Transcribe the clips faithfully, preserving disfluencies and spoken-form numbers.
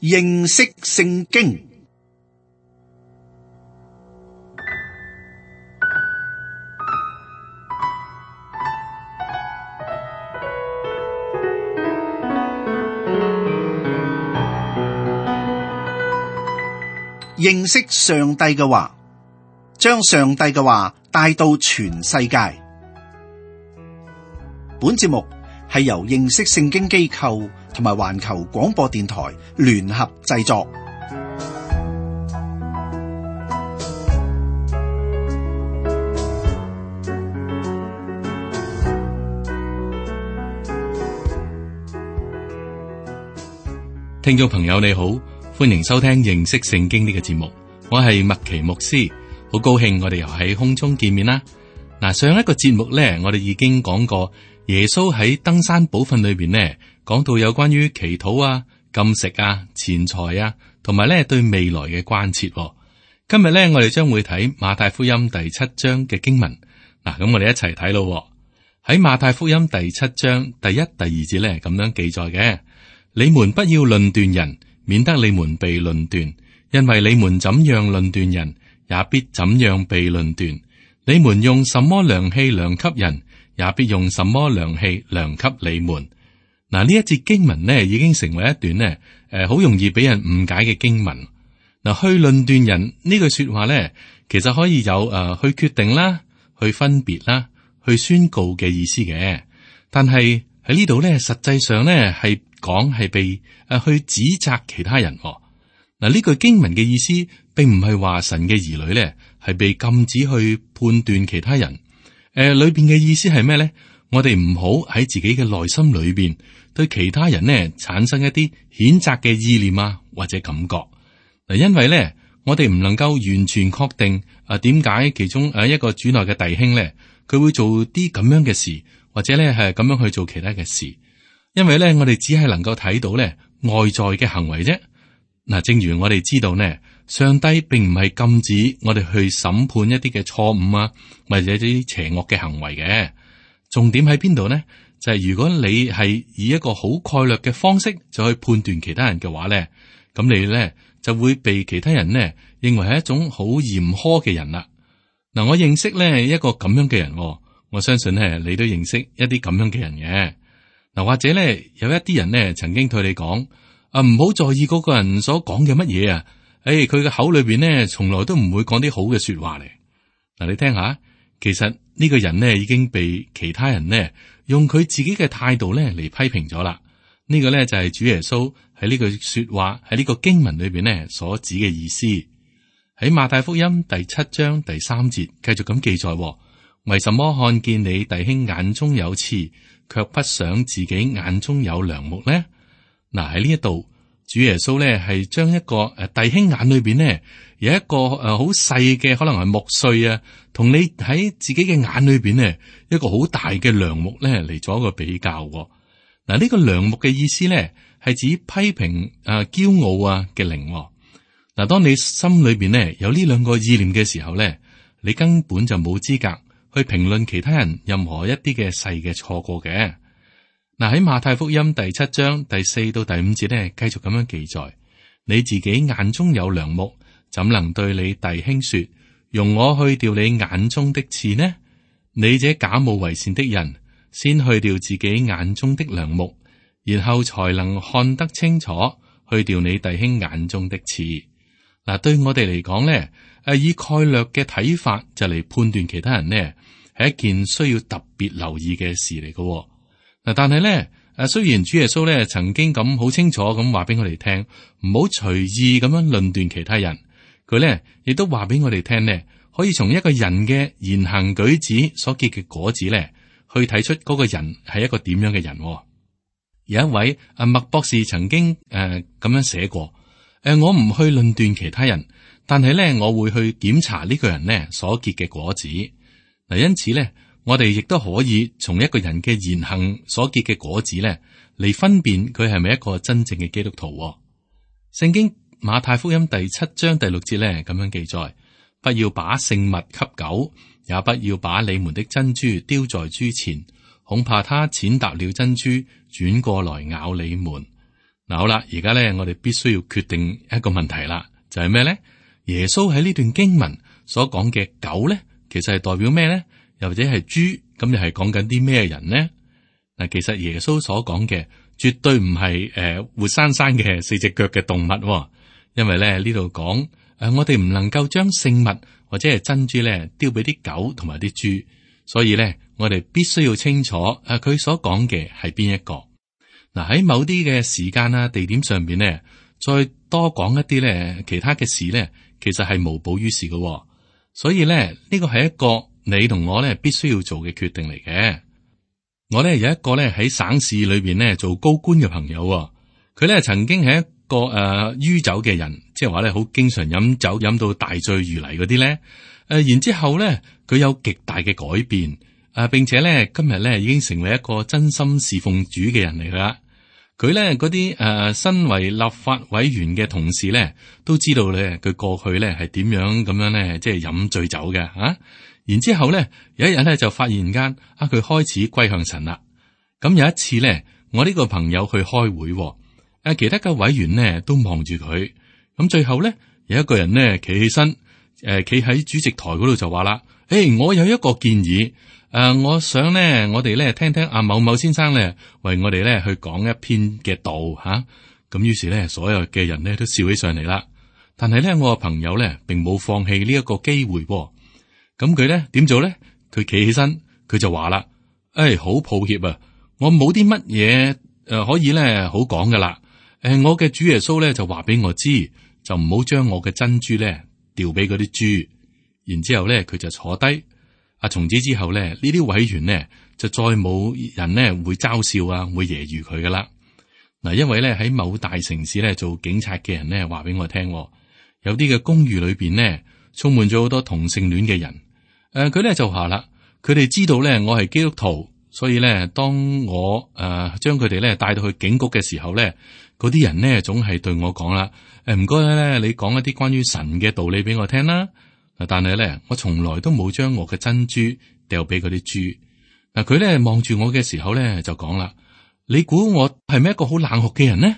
認識聖經。認識上帝嘅話，將上帝嘅話帶到全世界。本節目係由認識聖經機構同埋環球廣播電台聯合製作。聽眾朋友你好，歡迎收聽認識聖經呢個節目，我係麥奇牧師，好高興我哋又喺空中見面啦。嗱，上一個節目咧，我哋已經講過耶穌喺登山寶訓裏邊呢，講到有關於祈禱啊、禁食啊、錢財啊，同埋咧對未來嘅關切。今日咧，我哋將會睇馬太福音第七章嘅經文。嗱，咁我哋一齊睇咯。喺馬太福音第七章第一、第二節咧，咁樣記載嘅：你們不要論斷人，免得你們被論斷，因為你們怎樣論斷人，也必怎樣被論斷。你們用什麼量器量給人，也必用什麼量器量給你們。嗱，呢一節經文呢，已經成為一段呢誒，好容易俾人誤解嘅經文。嗱，去論斷人呢句說話呢，其實可以有誒、呃、去決定啦、去分別啦、去宣告嘅意思嘅。但係喺呢度呢，實際上呢係講係被誒、呃、去指責其他人。嗱，呢句經文嘅意思，並唔係話神嘅兒女呢係被禁止去判斷其他人。誒、呃，裏邊嘅意思係咩呢？我哋唔好喺自己嘅內心裏邊對其他人呢產生一啲譴責嘅意念啊，或者感覺。嗱，因為呢，我哋唔能夠完全確定啊，點解其中誒一個主內嘅弟兄呢，佢會做啲咁樣嘅事，或者呢係咁樣去做其他嘅事。因為呢，我哋只係能夠睇到呢外在嘅行為啫。嗱，正如我哋知道呢，上帝並唔係禁止我哋去審判一啲嘅錯誤啊，或者啲邪惡嘅行為嘅。重點喺邊度呢？就係、是、如果你係以一個好概略嘅方式就去判斷其他人嘅話呢，咁你呢就會被其他人呢認為係一種好嚴苛嘅人啦。嗱，我認識呢一個咁樣嘅人，我相信呢你都認識一啲咁樣嘅人嘅。嗱，或者呢有一啲人呢曾經對你講啊，唔好在意嗰個人所講嘅乜嘢啊，誒，佢嘅口裏邊呢從來都唔會講啲好嘅說話嚟。嗱，你聽下，其實呢個人呢已經被其他人呢用佢自己嘅態度呢嚟批評咗啦。呢個呢就係主耶穌喺呢句說話喺呢個經文裏邊呢所指嘅意思。喺馬太福音第七章第三節繼續咁記載：為什麼看見你弟兄眼中有刺，卻不想自己眼中有梁木呢？嗱，喺呢一度，主耶穌咧係將一個誒弟兄眼裏邊呢有一個誒好細嘅可能係木碎啊，同你喺自己嘅眼裏邊呢一個好大嘅梁木咧嚟做一個比較。嗱，呢個梁木嘅意思咧係指批評誒驕傲啊嘅靈。嗱，當你心裏邊呢有呢兩個意念嘅時候咧，你根本就冇資格去評論其他人任何一啲嘅細嘅錯過嘅。嗱，喺馬太福音第七章第四到第五節咧，繼續咁樣記載：你自己眼中有梁木，怎能對你弟兄說，容我去掉你眼中的刺呢？你這假冒為善的人，先去掉自己眼中的梁木，然後才能看得清楚，去掉你弟兄眼中的刺。嗱，對我哋嚟講咧，誒，以概略嘅睇法就嚟判斷其他人呢，係一件需要特別留意嘅事嚟嘅。嗱，但係咧，誒，雖然主耶穌咧曾經咁好清楚咁話俾我哋聽，唔好隨意咁樣論斷其他人，佢咧亦都話俾我哋聽咧，可以從一個人嘅言行舉止所結嘅果子咧，去睇出嗰個人係一個點樣嘅人。有一位阿麥博士曾經誒咁、呃、樣寫過：誒、呃，我唔去論斷其他人，但係咧我會去檢查呢個人咧所結嘅果子。嗱，因此咧。我哋亦都可以從一個人嘅言行所結嘅果子咧，嚟分辨佢係咪一個真正嘅基督徒。聖經馬太福音第七章第六節咧咁樣記載：不要把聖物給狗，也不要把你們的珍珠丟在豬前，恐怕他踐踏了珍珠，轉過來咬你們。嗱，好啦，而家咧我哋必須要決定一個問題啦，就係咩咧？耶穌喺呢段經文所講嘅狗咧，其實係代表咩咧？又或者係豬，咁又係講緊啲咩人呢？嗱，其實耶穌所講嘅絕對唔係誒活生生嘅四隻腳嘅動物，因為咧呢度講誒我哋唔能夠將聖物或者係珍珠咧丟俾啲狗同埋啲豬，所以咧我哋必須要清楚誒佢所講嘅係邊一個。嗱，喺某啲嘅時間啊、地點上邊咧，再多講一啲咧其他嘅事咧，其實係無補於事嘅。所以咧呢個係一個你同我咧必須要做嘅決定嚟嘅。我咧有一個咧喺省市裏邊咧做高官嘅朋友，佢咧曾經係一個誒酗酒嘅人，即係話咧好經常飲酒飲到大醉如泥嗰啲咧。誒，然之後咧佢有極大嘅改變。啊，並且咧今日咧已經成為一個真心侍奉主嘅人嚟啦。佢咧嗰啲誒身為立法委員嘅同事咧，都知道咧佢過去咧係點樣咁樣咧，即係飲醉酒嘅啊。然之後咧有一日咧就發現間啊，佢開始歸向神啦。咁有一次咧，我呢個朋友去開會，誒其他嘅委員呢都望住佢。咁最後咧有一個人呢企起身，誒企喺主席台嗰度就話啦：誒、欸，我有一個建議。誒、呃，我想咧，我哋咧聽聽阿某某先生咧，為我哋咧去講一篇嘅道吓。咁、啊、於是咧，所有嘅人咧都笑起上嚟啦。但係咧，我個朋友咧並冇放棄呢一個機會。咁佢咧點做咧？佢企起身，佢就話啦：誒、哎，好抱歉啊，我冇啲乜嘢誒可以咧好講噶啦。誒、呃，我嘅主耶穌咧就話俾我知，就唔好將我嘅珍珠咧掉俾嗰啲豬。然之後咧，佢就坐低。啊！從此之後咧，呢啲委員呢，就再冇人呢會嘲笑啊，會揶揄佢噶啦。嗱，因為咧喺某大城市咧做警察嘅人呢話俾我聽，有啲嘅公寓裏邊呢充滿咗好多同性戀嘅人。誒、呃，佢咧就話啦，佢哋知道咧我係基督徒，所以咧當我誒將佢哋咧帶到去警局嘅時候咧，嗰啲人呢總係對我講啦：誒，唔該咧，你講一啲關於神嘅道理俾我聽啦。但係咧，我從來都冇將我嘅珍珠掉俾嗰啲豬。嗱，佢咧望住我嘅時候咧，就講啦：你估我係咪一個好冷酷嘅人呢？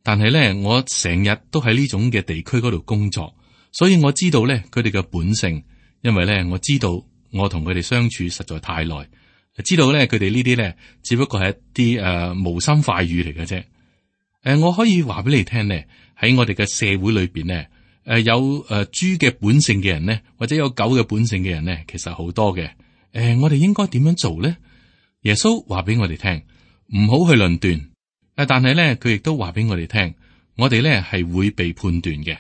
但係咧，我成日都喺呢種嘅地區嗰度工作，所以我知道咧佢哋嘅本性。因為咧，我知道我同佢哋相處實在太耐，知道咧佢哋呢啲咧只不過係一啲誒、呃、無心快語嚟嘅啫。誒、呃，我可以話俾你聽咧，喺我哋嘅社會裏邊咧。誒、呃，有誒豬嘅本性嘅人咧，或者有狗嘅本性嘅人咧，其實好多嘅。誒、呃，我哋應該點樣做咧？耶穌話俾我哋聽，唔好去論斷。誒，但係咧，佢亦都話俾我哋聽，我哋咧係會被判斷嘅。誒、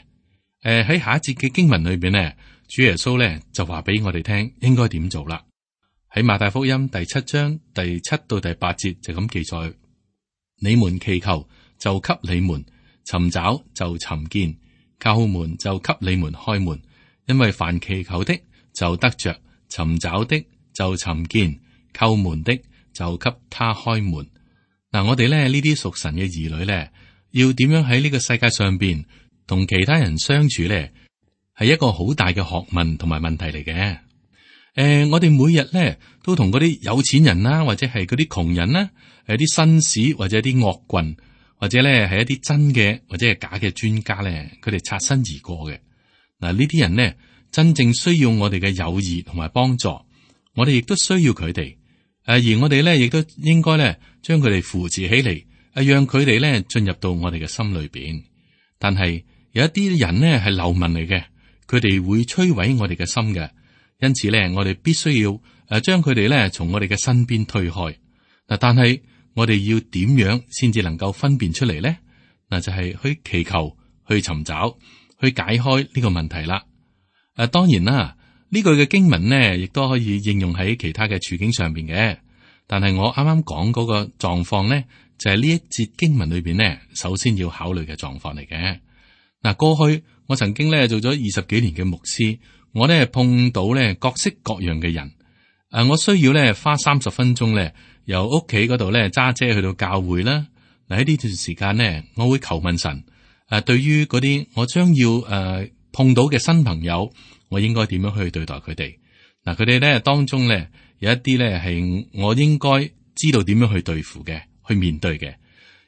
呃，喺下一節嘅經文裏邊咧，主耶穌咧就話俾我哋聽，應該點做啦。喺馬太福音第七章第七到第八節就咁記載：你們祈求，就給你們；尋找，就尋見。叩門，就給你們開門，因為凡祈求的就得着，尋找的就尋見，叩門的就給他開門。嗱、啊，我哋咧呢啲屬神嘅兒女咧，要點樣喺呢個世界上邊同其他人相處咧，係一個好大嘅學問同埋問題嚟嘅。誒、呃，我哋每日咧都同嗰啲有錢人啦，或者係嗰啲窮人啦，誒，啲紳士或者啲惡棍。或者咧係一啲真嘅或者係假嘅專家咧，佢哋擦身而過嘅。嗱，呢啲人呢，真正需要我哋嘅友誼同埋幫助，我哋亦都需要佢哋。誒，而我哋咧亦都應該咧將佢哋扶持起嚟，誒，讓佢哋咧進入到我哋嘅心裏邊。但係有一啲人呢係流民嚟嘅，佢哋會摧毀我哋嘅心嘅。因此咧，我哋必須要誒將佢哋咧從我哋嘅身邊推開。嗱，但係。我哋要點樣先至能夠分辨出嚟咧？嗱，就係去祈求、去尋找、去解開呢個問題啦。誒、啊，當然啦，呢句嘅經文呢，亦都可以應用喺其他嘅處境上邊嘅。但係我啱啱講嗰個狀況呢，就係、是、呢一節經文裏邊呢，首先要考慮嘅狀況嚟嘅。嗱，過去我曾經咧做咗二十幾年嘅牧師，我咧碰到咧各式各樣嘅人。誒、啊，我需要咧花三十分鐘咧。由屋企嗰度咧揸車去到教會啦。嗱，喺呢段時間呢，我會求問神。誒，對於嗰啲我將要誒、呃、碰到嘅新朋友，我應該點樣去對待佢哋？嗱，佢哋咧當中咧有一啲咧係我應該知道點樣去對付嘅，去面對嘅。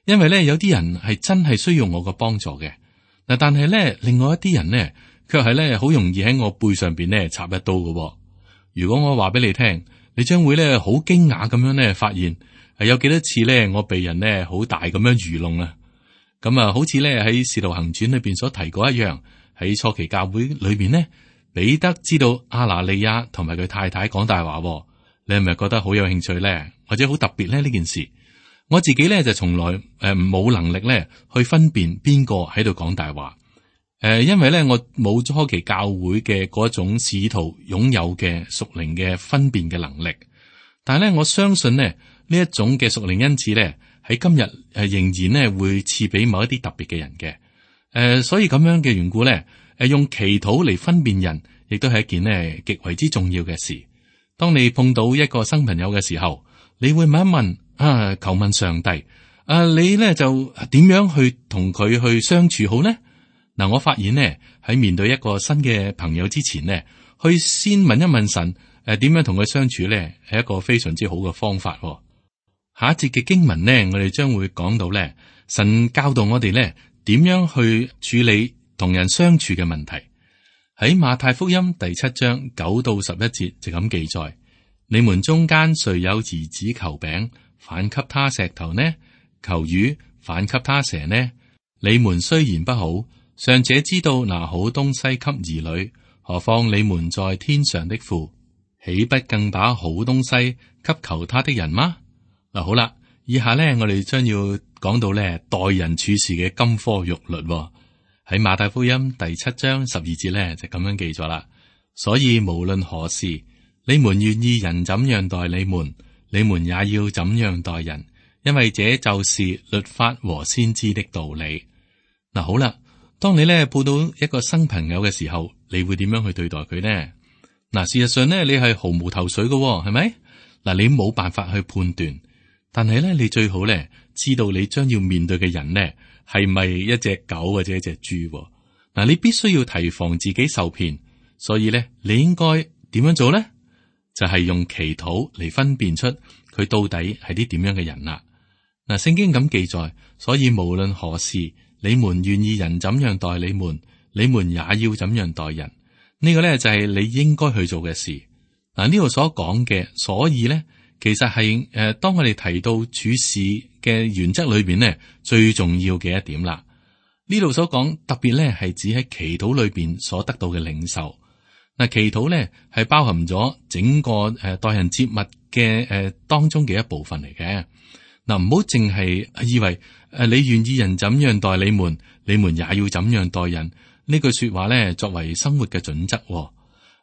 因為咧有啲人係真係需要我嘅幫助嘅。嗱，但係咧另外一啲人呢，卻係咧好容易喺我背上邊咧插一刀嘅。如果我話俾你聽，你將會咧好驚訝咁樣咧發現係有幾多次咧我被人咧好大咁樣愚弄啊！咁啊，好似咧喺《使徒行傳》裏邊所提過一樣，喺初期教會裏邊呢，彼得知道亞拿尼亞同埋佢太太講大話，你係咪覺得好有興趣咧，或者好特別咧呢件事？我自己咧就從來誒冇能力咧去分辨邊個喺度講大話，誒，因為咧我冇初期教會嘅嗰種使徒擁有嘅屬靈嘅分辨嘅能力，但係咧我相信呢，呢一種嘅屬靈恩賜咧。喺今日誒，仍然咧會賜俾某一啲特別嘅人嘅，誒、呃，所以咁樣嘅緣故咧，誒，用祈禱嚟分辨人，亦都係一件咧極為之重要嘅事。當你碰到一個新朋友嘅時候，你會問一問啊，求問上帝，啊，你咧就點樣去同佢去相處好呢？嗱、啊，我發現呢，喺面對一個新嘅朋友之前呢，去先問一問神，誒、啊，點樣同佢相處咧，係一個非常之好嘅方法。下一節嘅經文呢，我哋將會講到咧，神教導我哋咧點樣去處理同人相處嘅問題。喺馬太福音第七章九到十一節就咁記載：你們中間誰有兒子求餅，反給他石頭呢？求魚，反給他蛇呢？你們雖然不好，尚且知道拿好東西給兒女，何況你們在天上的父，豈不更把好東西給求他的人嗎？嗱，好啦，以下咧，我哋將要講到咧待人處事嘅金科玉律喎。喺馬太福音第七章十二節咧就咁樣記咗啦。所以無論何事，你們願意人怎樣待你們，你們也要怎樣待人，因為這就是律法和先知的道理。嗱，好啦，當你咧碰到一個新朋友嘅時候，你會點樣去對待佢呢？嗱，事實上咧，你係毫無頭緒嘅喎，係咪？嗱，你冇辦法去判斷。但係咧，你最好咧知道你將要面對嘅人呢係咪一隻狗或者一隻豬？嗱，你必須要提防自己受騙，所以咧，你應該點樣做咧？就係用祈禱嚟分辨出佢到底係啲點樣嘅人啦。嗱，聖經咁記載，所以無論何事，你們願意人怎樣待你們，你們也要怎樣待人。呢個咧就係你應該去做嘅事。嗱，呢度所講嘅，所以咧。其實係誒、呃，當我哋提到處事嘅原則裏邊呢，最重要嘅一點啦。呢度所講特別咧，係指喺祈禱裏邊所得到嘅領受。嗱，祈禱咧係包含咗整個誒待人接物嘅誒、呃、當中嘅一部分嚟嘅。嗱，唔好淨係以為誒、呃、你願意人怎樣待你們，你們也要怎樣待人呢句說話咧，作為生活嘅準則。誒、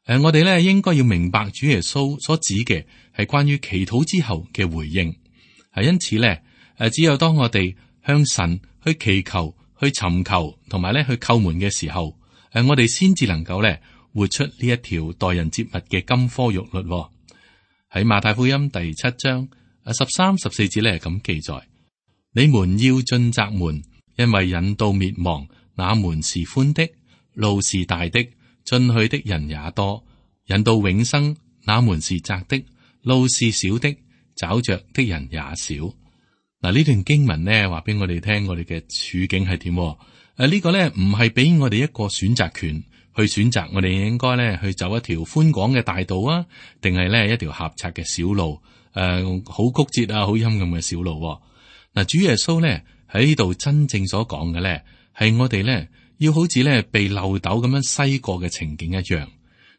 呃，我哋咧應該要明白主耶穌所指嘅。係關於祈禱之後嘅回應，係因此咧，誒，只有當我哋向神去祈求、去尋求，同埋咧去叩門嘅時候，誒，我哋先至能夠咧活出呢一條待人接物嘅金科玉律。喺馬太福音第七章誒十三、十四節咧咁記載：你們要進窄門，因為引到滅亡，那門是寬的，路是大的，進去的人也多；引到永生，那門是窄的。路是小的，找着的人也少。嗱，呢段經文呢話俾我哋聽，我哋嘅處境係點？誒、啊，這個、呢個咧唔係俾我哋一個選擇權去選擇，我哋應該咧去走一條寬廣嘅大道啊，定係咧一條狹窄嘅小路？誒、啊，好曲折啊，好陰暗嘅小路。嗱、啊，主耶穌咧喺呢度真正所講嘅咧，係我哋咧要好似咧被漏斗咁樣篩過嘅情景一樣。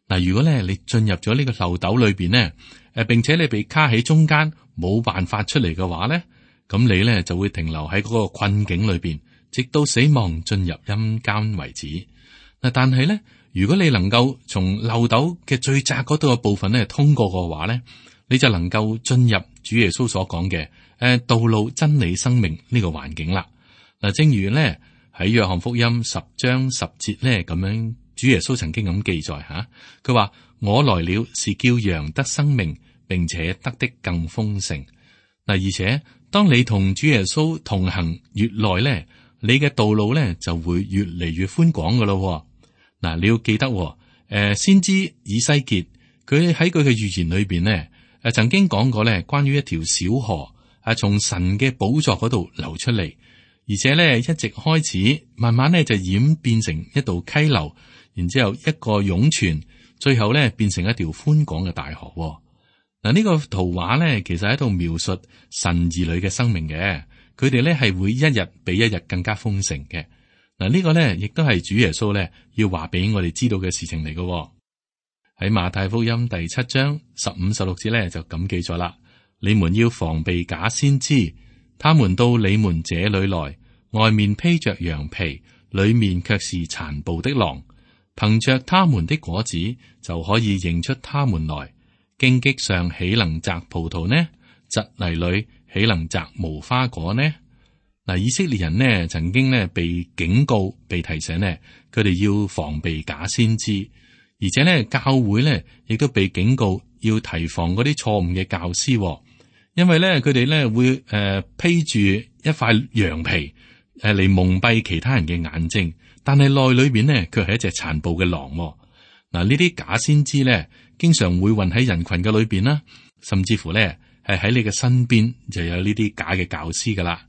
嗱、啊，如果咧你進入咗呢個漏斗裏邊咧，誒，並且你被卡喺中間，冇辦法出嚟嘅話咧，咁你咧就會停留喺嗰個困境裏邊，直到死亡進入陰間為止。嗱，但係咧，如果你能夠從漏斗嘅最窄嗰度嘅部分咧通過嘅話咧，你就能夠進入主耶穌所講嘅誒道路、真理、生命呢個環境啦。嗱，正如咧喺約翰福音十章十節咧咁樣，主耶穌曾經咁記載吓，佢話：我來了是叫羊得生命，並且得的更豐盛。嗱，而且當你同主耶穌同行越耐咧，你嘅道路咧就會越嚟越寬廣噶咯。嗱，你要記得，誒，先知以西結佢喺佢嘅預言裏邊咧，誒，曾經講過咧關於一條小河係從神嘅寶座嗰度流出嚟，而且咧一直開始慢慢咧就演變成一道溪流，然之後一個湧泉，最後咧變成一條寬廣嘅大河。嗱，呢個圖畫咧其實喺度描述神兒女嘅生命嘅，佢哋咧係會一日比一日更加豐盛嘅。嗱，呢個咧亦都係主耶穌咧要話俾我哋知道嘅事情嚟嘅。喺馬太福音第七章十五十六節咧就咁記載啦。你們要防備假先知，他們到你們這裏來，外面披着羊皮，裏面卻是殘暴的狼。憑着他們的果子就可以認出他們來。荊棘上豈能摘葡萄呢？蒺藜裏豈能摘無花果呢？嗱，以色列人呢曾經呢被警告、被提醒呢，佢哋要防備假先知，而且呢教會呢亦都被警告要提防嗰啲錯誤嘅教師。因為咧，佢哋咧會誒、呃、披住一塊羊皮誒嚟、呃、蒙蔽其他人嘅眼睛，但係內裏邊呢，卻係一隻殘暴嘅狼。嗱、呃，呢啲假先知咧，經常會混喺人群嘅裏邊啦，甚至乎咧係喺你嘅身邊就有呢啲假嘅教師噶啦。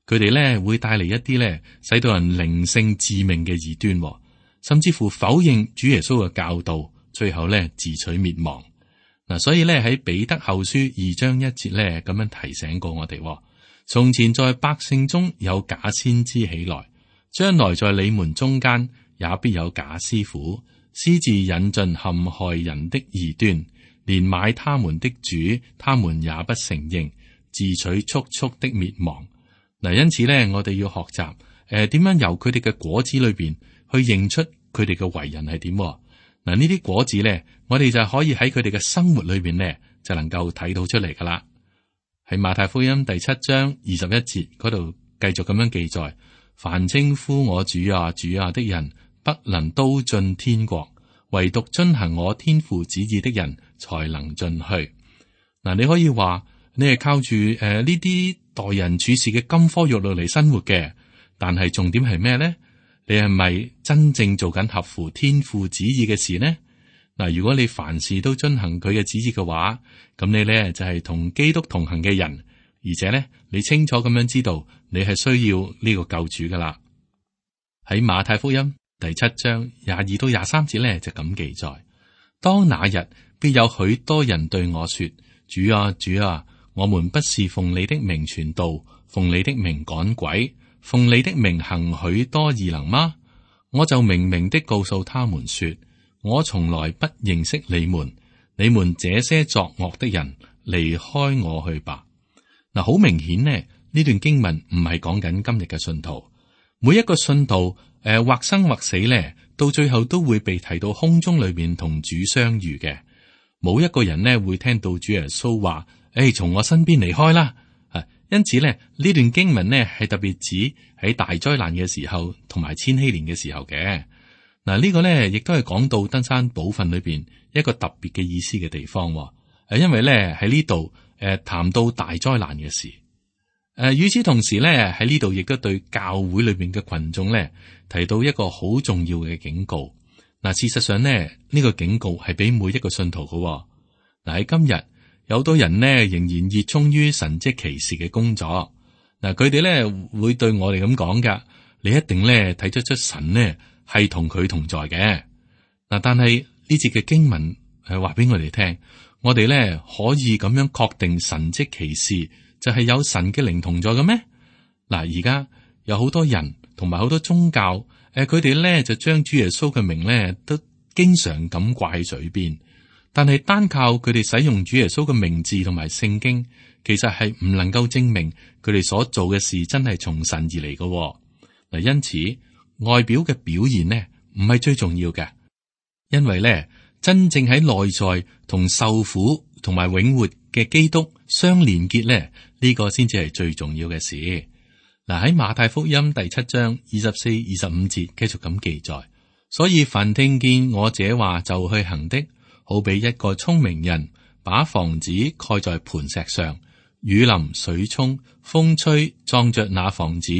佢哋咧會帶嚟一啲咧使到人靈性致命嘅異端，甚至乎否認主耶穌嘅教導，最後咧自取滅亡。嗱，所以咧喺彼得後書二章一節咧咁樣提醒過我哋：從前在百姓中有假先知起來，將來在你們中間也必有假師傅，私自引進陷害人的異端，連買他們的主，他們也不承認，自取速速的滅亡。嗱，因此咧，我哋要學習誒點樣由佢哋嘅果子裏邊去認出佢哋嘅為人係點。嗱，呢啲果子咧，我哋就可以喺佢哋嘅生活裏邊咧，就能夠睇到出嚟噶啦。喺馬太福音第七章二十一節嗰度，繼續咁樣記載：凡稱呼我主啊主啊的人，不能都進天國，唯獨遵行我天父旨意的人，才能進去。嗱，你可以話你係靠住誒呢啲待人處事嘅金科玉律嚟生活嘅，但係重點係咩咧？你係咪真正做緊合乎天父旨意嘅事呢？嗱，如果你凡事都遵行佢嘅旨意嘅話，咁你咧就係同基督同行嘅人，而且咧你清楚咁樣知道你係需要呢個救主噶啦。喺馬太福音第七章廿二到廿三節咧就咁記載：當那日必有許多人對我說：主啊主啊，我們不是奉你的名傳道，奉你的名趕鬼，奉你的名行許多異能嗎？我就明明的告訴他們說：我從來不認識你們，你們這些作惡的人，離開我去吧。嗱，好明顯呢，呢段經文唔係講緊今日嘅信徒，每一個信徒誒、呃、或生或死咧，到最後都會被提到空中裏面同主相遇嘅。冇一個人呢會聽到主耶穌話：誒，從我身邊離開啦。因此咧，呢段經文呢係特別指喺大災難嘅時候，同埋千禧年嘅時候嘅。嗱，呢個呢亦都係講到登山寶訓裏邊一個特別嘅意思嘅地方。誒，因為咧喺呢度誒談到大災難嘅事。誒，與此同時咧喺呢度亦都對教會裏邊嘅群眾咧提到一個好重要嘅警告。嗱，事實上呢，呢個警告係俾每一個信徒嘅。嗱，喺今日。有好多人呢，仍然熱衷於神蹟奇事嘅工作。嗱，佢哋咧會對我哋咁講噶，你一定咧睇得出神呢係同佢同在嘅。嗱，但係呢節嘅經文係話俾我哋聽，我哋咧可以咁樣確定神蹟奇事就係有神嘅靈同在嘅咩？嗱，而家有好多人同埋好多宗教，誒，佢哋咧就將主耶穌嘅名咧都經常咁掛喺嘴邊。但係單靠佢哋使用主耶穌嘅名字同埋聖經，其實係唔能夠證明佢哋所做嘅事真係從神而嚟嘅。嗱，因此外表嘅表現呢唔係最重要嘅，因為咧真正喺內在同受苦同埋永活嘅基督相連結咧，呢個先至係最重要嘅事。嗱，喺馬太福音第七章二十四、二十五節繼續咁記載，所以凡聽見我這話就去行的，好比一個聰明人，把房子蓋在磐石上，雨淋水沖，風吹，撞着那房子，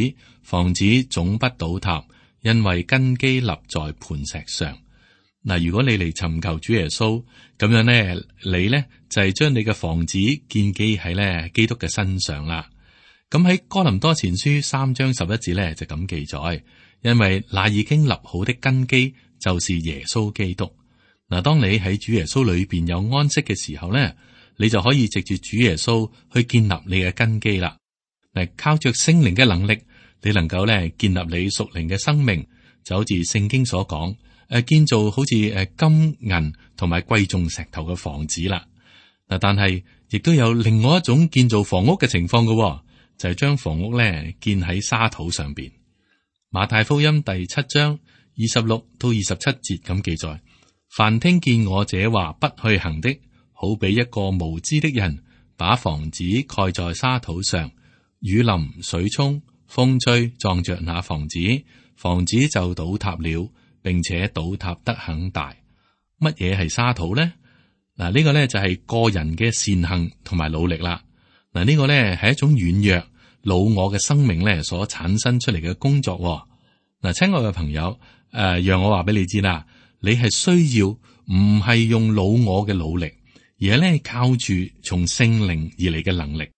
房子總不倒塌，因為根基立在磐石上。嗱，如果你嚟尋求主耶穌，咁樣咧，你咧就係將你嘅房子建基喺咧基督嘅身上啦。咁喺哥林多前書三章十一節咧就咁記載，因為那已經立好的根基就是耶穌基督。嗱，當你喺主耶穌裏邊有安息嘅時候咧，你就可以藉住主耶穌去建立你嘅根基啦。嗱，靠着聖靈嘅能力，你能夠咧建立你屬靈嘅生命，就好似聖經所講，誒，建造好似誒金銀同埋貴重石頭嘅房子啦。嗱，但係亦都有另外一種建造房屋嘅情況嘅，就係將房屋咧建喺沙土上邊。馬太福音第七章二十六到二十七節咁記載：凡聽見我這話不去行的，好比一個無知的人，把房子蓋在沙土上，雨淋水沖，風吹，撞着那房子，房子就倒塌了，並且倒塌得很大。乜嘢係沙土呢？嗱，呢個呢就係個人嘅善行同埋努力啦。嗱，呢個呢係一種軟弱老我嘅生命呢所產生出嚟嘅工作。嗱，親愛嘅朋友，誒、呃，讓我話俾你知啦，你係需要唔係用老我嘅努力，而係咧靠住從聖靈而嚟嘅能力。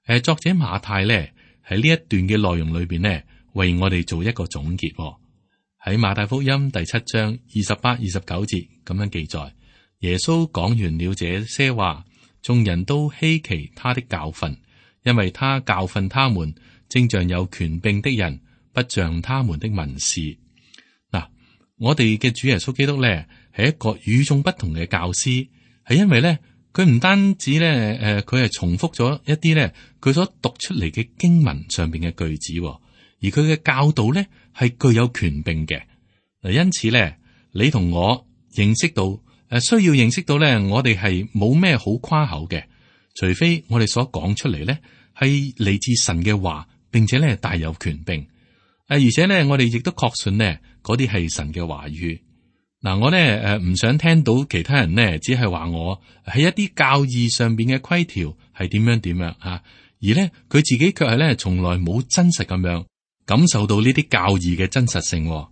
誒，作者馬太咧喺呢一段嘅內容裏邊呢，為我哋做一個總結。喺馬太福音第七章二十八、二十九節咁樣記載，耶穌講完了這些話，眾人都稀奇他的教訓，因為他教訓他們，正像有權柄的人，不像他們的文士。嗱，我哋嘅主耶穌基督咧係一個與眾不同嘅教師，係因為咧佢唔單止咧誒，佢係重複咗一啲咧佢所讀出嚟嘅經文上邊嘅句子，而佢嘅教導咧係具有權柄嘅。嗱，因此咧，你同我認識到誒，需要認識到咧，我哋係冇咩好誇口嘅，除非我哋所講出嚟咧係嚟自神嘅話，並且咧帶有權柄。誒，而且咧，我哋亦都確信呢嗰啲係神嘅話語。嗱，我咧誒唔想聽到其他人呢只係話我喺一啲教義上邊嘅規條係點樣點樣吓，而咧佢自己卻係咧從來冇真實咁樣感受到呢啲教義嘅真實性。嗱，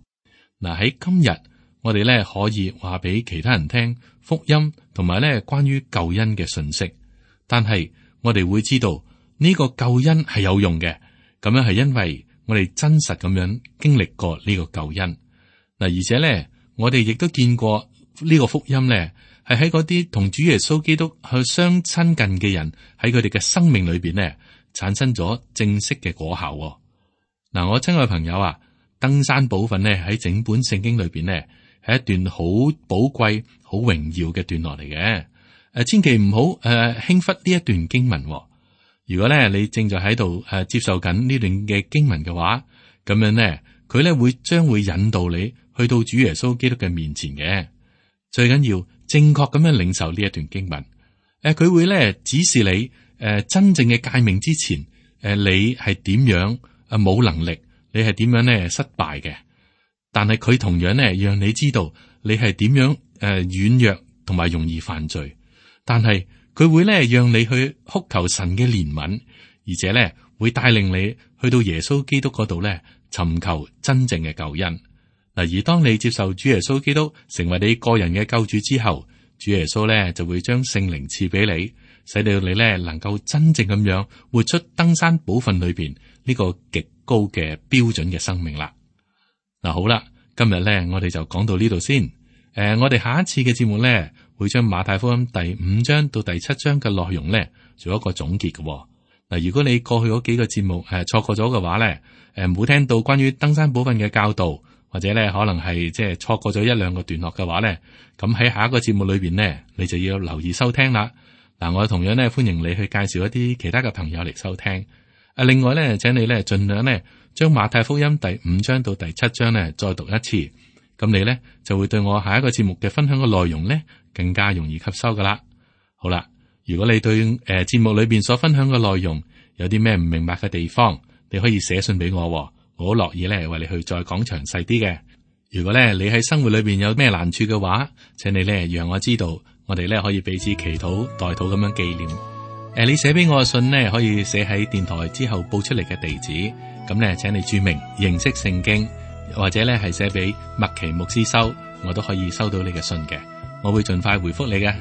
喺今日我哋咧可以話俾其他人聽福音同埋咧關於救恩嘅信息，但係我哋會知道呢個救恩係有用嘅，咁樣係因為我哋真實咁樣經歷過呢個救恩。嗱，而且咧，我哋亦都見過呢個福音咧，係喺嗰啲同主耶穌基督去相親近嘅人喺佢哋嘅生命裏邊咧，產生咗正式嘅果效。嗱，我親愛嘅朋友啊，登山寶訓咧喺整本聖經裏邊咧，係一段好寶貴、好榮耀嘅段落嚟嘅。誒，千祈唔好誒輕忽呢一段經文。如果咧你正在喺度誒接受緊呢段嘅經文嘅話，咁樣咧佢咧會將會引導你去到主耶穌基督嘅面前嘅。最緊要正確咁樣領受呢一段經文。誒，佢會咧指示你誒真正嘅誡命之前，誒你係點樣誒冇能力，你係點樣咧失敗嘅。但係佢同樣咧讓你知道你係點樣誒軟弱同埋容易犯罪，但係佢會咧讓你去哭求神嘅憐憫，而且咧會帶領你去到耶穌基督嗰度咧尋求真正嘅救恩。嗱，而當你接受主耶穌基督成為你個人嘅救主之後，主耶穌咧就會將聖靈賜俾你，使到你咧能夠真正咁樣活出登山寶訓裏邊呢個極高嘅標準嘅生命啦。嗱，好啦，今日咧我哋就講到呢度先。誒、呃，我哋下一次嘅節目咧，會將馬太福音第五章到第七章嘅內容咧，做一個總結嘅、哦。嗱，如果你過去嗰幾個節目誒錯過咗嘅話咧，誒冇聽到關於登山寶訓嘅教導，或者咧可能係即係錯過咗一兩個段落嘅話咧，咁喺下一個節目裏邊咧，你就要留意收聽啦。嗱，我同樣咧歡迎你去介紹一啲其他嘅朋友嚟收聽。啊，另外咧，請你咧盡量咧將馬太福音第五章到第七章咧再讀一次，咁你咧就會對我下一個節目嘅分享嘅內容咧更加容易吸收噶啦。好啦，如果你對誒節目裏邊所分享嘅內容有啲咩唔明白嘅地方，你可以寫信俾我，我好樂意咧為你去再講詳細啲嘅。如果咧你喺生活裏邊有咩難處嘅話，請你咧讓我知道，我哋咧可以彼此祈禱代禱咁樣紀念。誒、呃，你寫俾我嘅信呢，可以寫喺電台之後報出嚟嘅地址，咁咧請你注明認識聖經，或者咧係寫俾麥奇牧師收，我都可以收到你嘅信嘅，我會盡快回覆你嘅。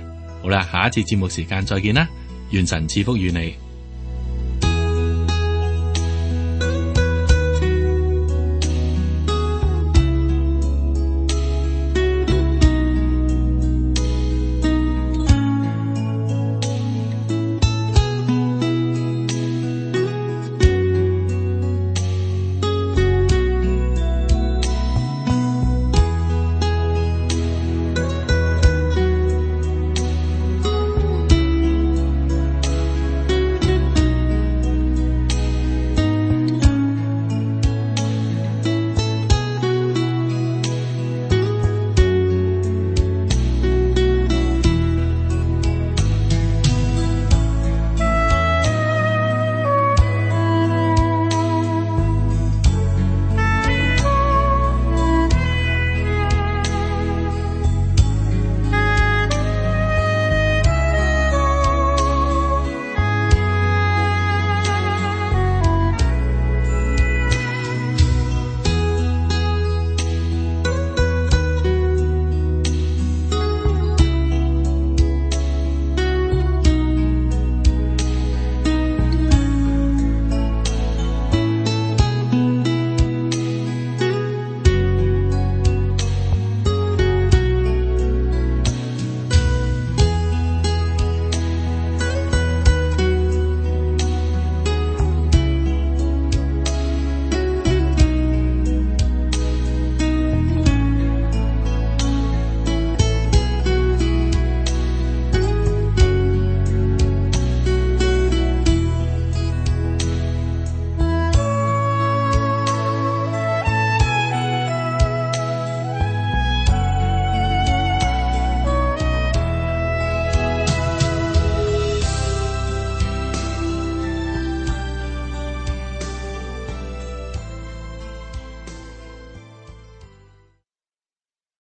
好啦，下一次節目時間再見啦，願神賜福與你。